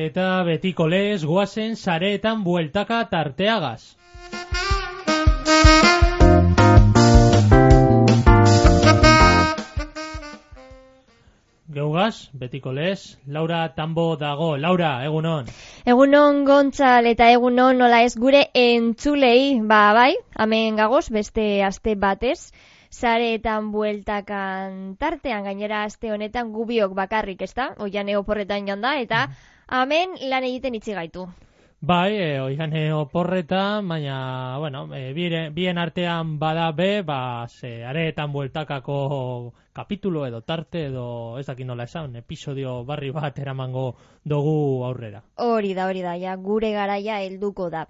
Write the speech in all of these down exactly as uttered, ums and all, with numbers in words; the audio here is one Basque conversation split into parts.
Eta betiko lez goazen sareetan bueltaka tarteagaz. Geugaz, betiko lez, Laura Tambo dago. Laura, egunon. Egunon Gontzal eta egunon nola ez gure entzulei, ba bai, hemen gagoz beste aste batez. Sareetan bueltakan tartean, gainera aste honetan gubiok bakarrik, ezta? Oian oporretan joan da, eta hemen lan egiten itzi gaitu. Bai, e, oian oporretan, baina, bueno, e, bien, bien artean bada be, ba, ze, areetan bueltakako kapitulo edo tarte edo, ez dakit nola esan, episodio barri bat eramango dugu aurrera. Hori da, hori da, ja, gure garaia helduko da.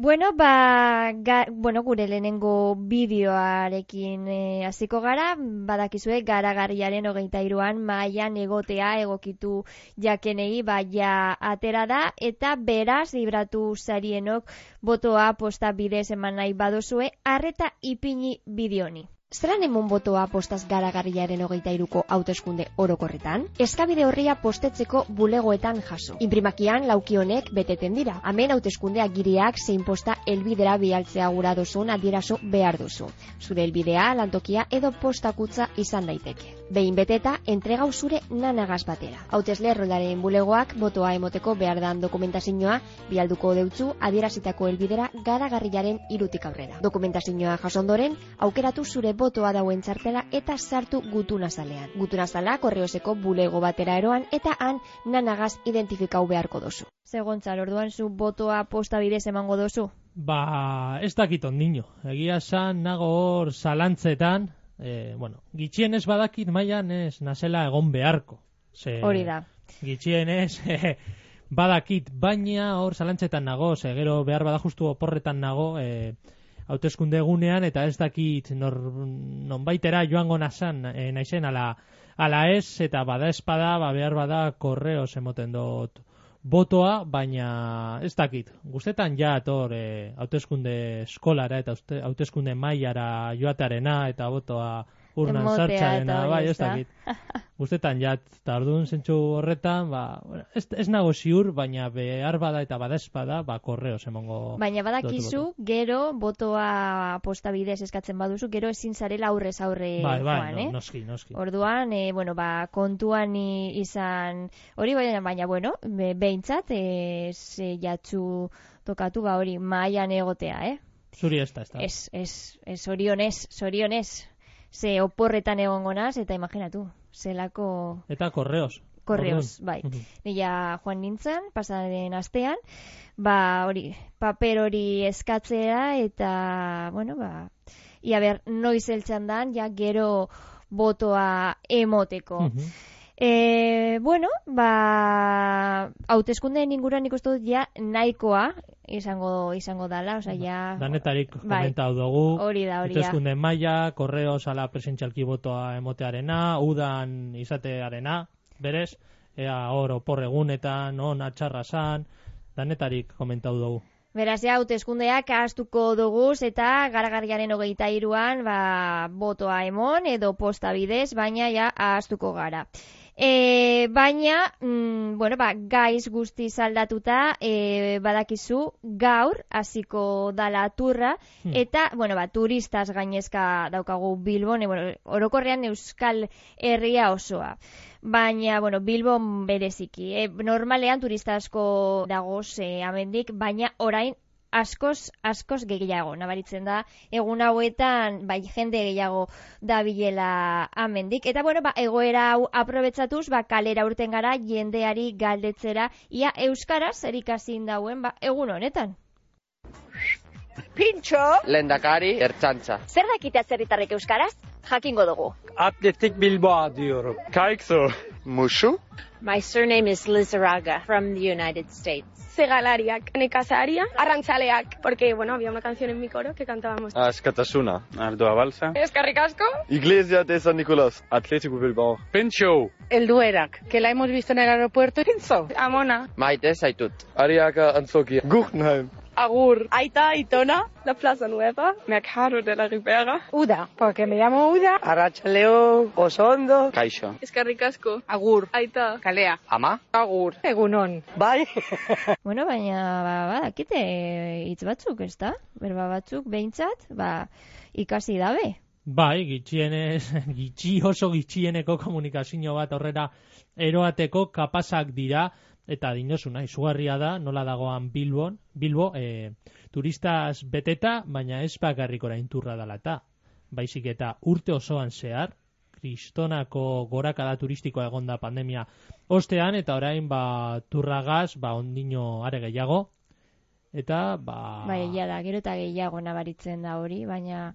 Bueno, ba, ga, bueno, gure lehenengo bideoarekin e, hasiko gara, badakizue garagarriaren hogeita hiruan mahaian egotea egokitu jakenei baia atera da, eta beraz libratu zarienok botoa posta bidez eman nahi badozue, arreta ipini bideoni. Zeran emun botoa postaz garagarriaren hogeita hiruko hauteskunde orokorretan? Eskabide horria postetzeko bulegoetan jaso. Inprimakian laukionek beteten dira. Hemen hauteskunde agiriak zein posta helbidera bialtzea gura duzun adieraso behar duzu. Zure helbidea, lantokia edo postakutza izan daiteke. Behin beteta, entregau zure nanagaz batera. Hautesle erroldaren bulegoak botoa emoteko behar dan dokumentazioa bialduko deutzu adierazitako helbidera garagarriaren hirutik aurrera. Dokumentazioa jasondoren, aukeratu zure botoa dauen txartela eta sartu gutunazalean. Gutunazala korreoseko bulego batera eroan eta han nanagaz identifikau beharko dozu. Segontzal, orduan zu botoa posta bidez emango dozu? Ba, ez dakit ondino. Egia san nago hor zalantzetan, e, bueno, gitxienez badakit mailan ez nazela egon beharko. Ze, hori da. Gitxienez e, badakit, baina hor zalantzetan nago, ze gero behar bada justu oporretan nago, e, hauteskunde egunean, eta ez dakit nor, nonbaitera joango nazan, e, naizen ala, ala ez, eta bada espada, ba, behar bada korreos emoten dut botoa, baina ez dakit. Guztetan ja ator e, hauteskunde eskolara eta hauteskunde mailara joatearena eta botoa urnan sartxarena, bai, ez dakit. Guztetan jat, eta orduan zentsu horretan, ba, ez, ez nago ziur, baina behar bada eta bada espada, ba, korreos emongo. Baina badakizu, gero, botoa posta bidez eskatzen baduzu, gero ezin zarela aurrez aurre bai, bai, joan, no, eh? Noski, noski. Orduan, e, bueno, ba, kontuan izan, hori baina, baina, bueno, be, behintzat, e, ze jatzu tokatu, ba, hori, mahaian egotea, eh? Zuri ez da, ez da. Ez, ez, ez, zorionez, zorionez. Ze oporretan egongo naz, eta imaginatu, zelako... Eta korreos. Korreos, bai. Nila joan nintzen, pasaren astean, ba, hori, paper hori eskatzea, eta, bueno, ba, ia ber, noiz eltsan dan, ja, gero botoa emoteko. Uh-huh. E, bueno, ba, hauteskundeen inguruan ikustu dut ja nahikoa izango izango dala, osea ja danetarik komentatu dugu. Hori da, hori da. Hauteskunde maila, korreos ala presentzialki botoa emotearena, udan izatearena, berez, ea hor opor egunetan, on atxarra san, danetarik komentatu dugu. Beraz, ja, hauteskundeak ahaztuko duguz eta garagarriaren hogeita hiruan ba, botoa emon edo posta bidez, baina ja ahaztuko gara. E, baina, mm, bueno, ba, gaiz guzti zaldatuta, e, badakizu gaur hasiko dala turra, hmm. eta, bueno, ba, turistaz gainezka daukagu Bilbon, e, bueno, orokorrean Euskal Herria osoa. Baina, bueno, Bilbon bereziki. E, normalean turista asko dagoz e, amendik, baina orain askoz, askoz gehiago, nabaritzen da, egun hauetan, bai, jende gehiago dabilela amendik. Eta, bueno, ba, egoera hau aprobetsatuz, ba, kalera urten gara, jendeari galdetzera, ia euskaraz erikasin dauen, ba, egun honetan. Pintxo! Lehendakari, ertzantza. Zer dakite atzerritarrek euskaraz? Jakingo dugu. Atletik Bilboa diyorum. Kaikzo. Musu? My surname is Lizarraga from the United States. Segalariak, nekazaria, arrantzaleak, porque, bueno, había una canción en mi coro que cantábamos. Askatasuna. Ardoa Balsa. Eskerrik asko. Iglesia de San Nicolás. Atlético Bilbao. Pencho. El Duerak, que la hemos visto en el aeropuerto. Pinzo. Amona. Maite zaitut. Ariaka Antzokia. Guggenheim. Agur. Aita, Itona. La Plaza Nueva. Mercado de la Ribera. Uda, porque me llamo Uda. Arratsaleo, Osondo. Kaixo. Eskerrik asko. Agur. Aita. Kalea. Ama? Agur. Egunon. Bai. Bueno, baina, ba, badakite hitz batzuk, ez da? Berba batzuk, behintzat, ba, ikasi dabe. Bai, gitxienez, gitxi oso gitxieneko komunikazio bat horrera eroateko kapazak dira, eta dinosuna, izugarria da, nola dagoan Bilbon, Bilbo, e, turistaz beteta, baina ez bakarrik orain turra dela eta, baizik eta urte osoan zehar, kristonako gorakada turistikoa egonda pandemia ostean, eta orain ba, turragaz, ba, ondino are gehiago, eta ba... Bai, egia da, gero eta gehiago nabaritzen da hori, baina,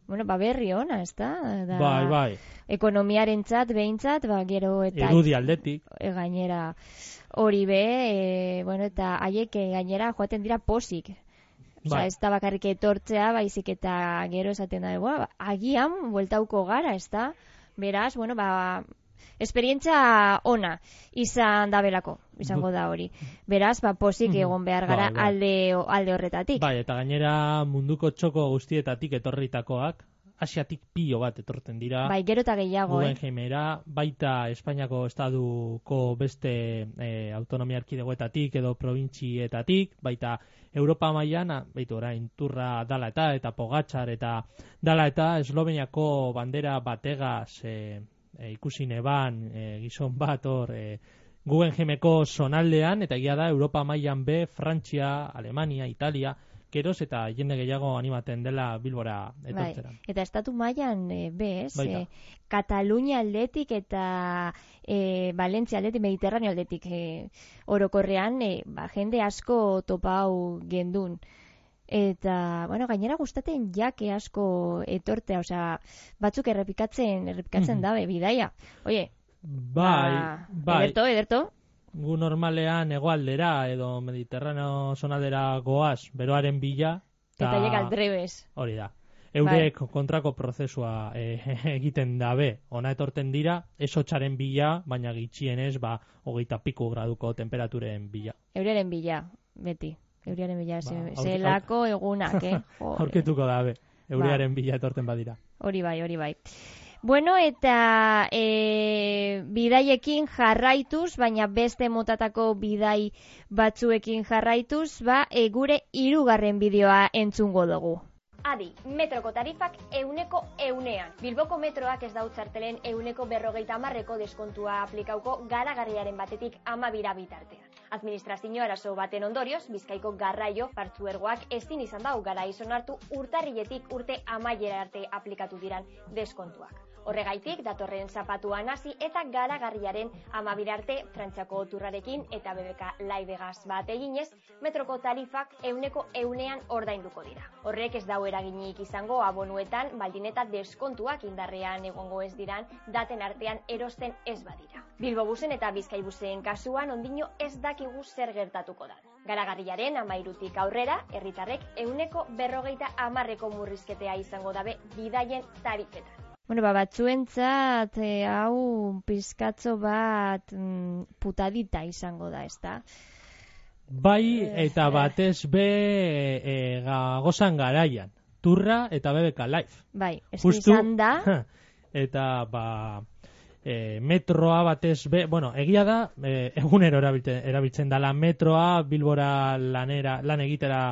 bueno, ba berri ona, ez da? Da bai, bai. Ekonomiarentzat, behintzat, ba gero eta... Irudi aldetik. E, gainera hori be, e, bueno, eta haiek e, gainera joaten dira posik. Osa, Bai. ez da bakarrik etortzea, baizik eta gero esaten da, ba, agian, bueltauko gara, ez da? Beraz, bueno, ba... esperientzia ona izan dabelako, izango da hori. Beraz, ba, posik egon behar gara bai, bai. alde, alde horretatik. Bai, eta gainera munduko txoko guztietatik etorritakoak, Asiatik pilo bat etortzen dira. Bai, gero eta gehiago, eh? Guggenheimera, baita Espainiako estaduko beste e, autonomia erkidegoetatik edo probintzietatik, baita Europa mailan, baitu orain turra dala eta, eta Pogačar eta dala eta Esloveniako bandera bategaz e, e, ikusi neban e, gizon bat hor e, Guggenheimeko zonaldean, eta egia da Europa mailan be, Frantzia, Alemania, Italia, geroz eta jende gehiago animaten dela Bilbora etortzera. Bai. Eta estatu mailan e, bez, Baita. e, Katalunia aldetik eta e, Valentzia aldetik, Mediterraneo aldetik e, orokorrean, e, ba, jende asko topau gendun. Eta, bueno, gainera gustaten jake asko etortea, osea, batzuk errepikatzen, errepikatzen Mhm. dabe, bidaia. Oie, Bai, ba, bai. ederto, ederto. Gu normalean hegoaldera edo Mediterraneo zonaldera goaz, beroaren bila. Eta llega aldrebes. Hori da. Eurek kontrako prozesua e, egiten dabe. Ona etorten dira, ez hotxaren bila, baina gitxienez, ba, hogeita piku graduko temperaturen bila. Euriaren bila, beti. Euriaren bila, Ba, ze, aurke- zelako egunak, eh? Jode. Aurketuko dabe. Eurearen bila etorten badira. Hori bai, hori bai. Bueno, eta e, bidaiekin jarraituz, baina beste motatako bidai batzuekin jarraituz, ba, e, gure hirugarren bideoa entzungo dugu. Adi, metroko tarifak euneko eunean. Bilboko metroak ez dautzartelen euneko berrogeita hamarreko deskontua aplikauko garagarriaren batetik amabira bitartean. Administrazio arazo baten ondorioz, Bizkaiko garraio partzuergoak ezin izan dau garaiz onartu urtarriletik urte amaiera arte aplikatu diran deskontuak. Horregaitik, datorren zapatuan hasi eta garagarriaren amabira arte Frantziako turrarekin eta B B K Laibegaz bat eginez, metroko tarifak euneko eunean ordainduko dira. Horrek ez dau eraginik izango abonuetan, baldin eta deskontuak indarrean egongo ez diran, daten artean erosten ez badira. Bilbobusen eta Bizkaibusen kasuan ondino ez dakigu zer gertatuko da. Garagarriaren amairutik aurrera, herritarrek euneko berrogeita hamarreko murrizketea izango dabe bidaien tarifetan. Bueno, ba, batzuentzat e, hau pizkatzo bat mm, putadita izango da, ezta? Bai, eta batez be e, gagozan garaian. Turra eta B B K Live. Bai, ez Justu, izan da. Eta, ba, e, metroa batez be, bueno, egia da, e, egunero erabiltzen, erabiltzen dala metroa, Bilbora lanera, lan egitera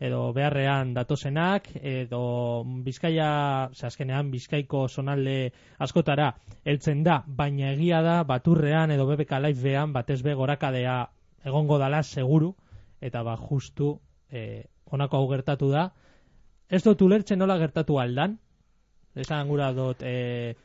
edo beharrean datozenak, edo Bizkaia, ze azkenean Bizkaiko zonalde askotara heltzen da, baina egia da baturrean edo B B K Livean batez be gorakadea egongo dala seguru, eta ba justu e, honako hau gertatu da. Ez dut ulertzen nola gertatu aldan, esan gura dut e,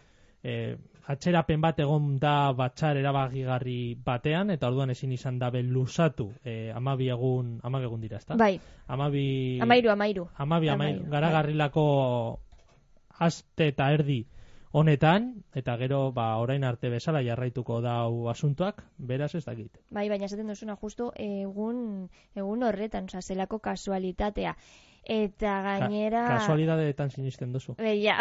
e, atxerapen bat egon da batxar erabagigarri batean, eta orduan ezin izan dabe luzatu e, amabi egun, amabi egun dira, ezta? Bai, Amabi... amairu, amairu. Amabi, amairu. Amairu, Garagarrilako aste eta erdi honetan, eta gero, ba, orain arte bezala jarraituko dau asuntoak, beraz ez dakit. Bai, baina esaten duzuna justu egun, egun horretan, oza, zelako kasualitatea. Eta gainera... Ka kasualidadeetan sinisten duzu. Beia.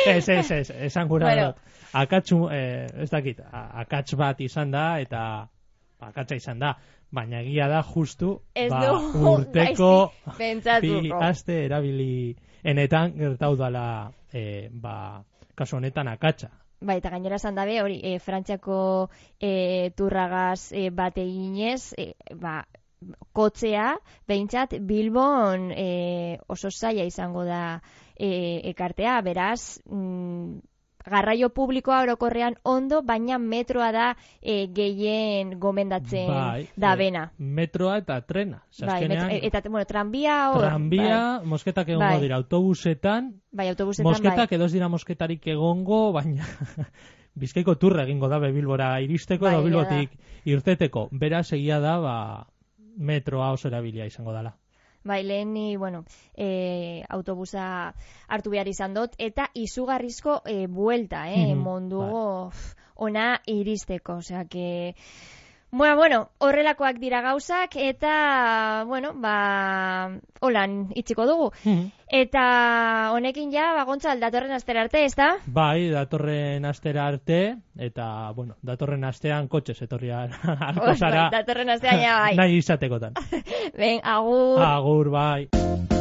ez, ez, ez, esan gura Bueno. dut. Akatsu, eh, ez dakit, a- akats bat izan da, eta akatsa izan da. baina egia da justu Ez ba, du, urteko gaizki pentsatuko. bi aste erabili enetan gertau dala e, ba, kasu honetan akatsa. Bai, eta gainera esan dabe, hori, e, Frantziako e, turragaz e, bate ginez, e, ba, kotzea, behintzat, Bilbon e, oso zaila izango da e, ekartea, beraz, mm, garraio publikoa orokorrean ondo, baina metroa da e, gehien gomendatzen bai, da bena. E, metroa eta trena. Bai, Azkenean, metro, eta, bueno, tranbia hor. tranbia, bai. mosketak egongo Bai. dira autobusetan, Bai, autobusetan mosketak bai. edo ez dira mosketarik egongo, baina Bizkaiko turra egingo da be Bilbora iristeko Bai, edo egia Bilbotik irteteko. Beraz egia da, ba, metroa oso erabilia izango dela. Bai, lehen ni, bueno, e, autobusa hartu behar izan dut, eta izugarrizko e, buelta, eh, Mhm, mundugo ona iristeko, osea que... Bueno, bueno, horrelakoak dira gauzak, eta, bueno, ba, holan itxiko dugu. Mhm. Eta honekin ja, bagontza, datorren astera arte, ez da? Bai, datorren astera arte, eta, bueno, datorren astean kotxez etorria harko zara Bai, datorren astean ja, bai. nahi izatekotan. Ben, agur. Agur, bai.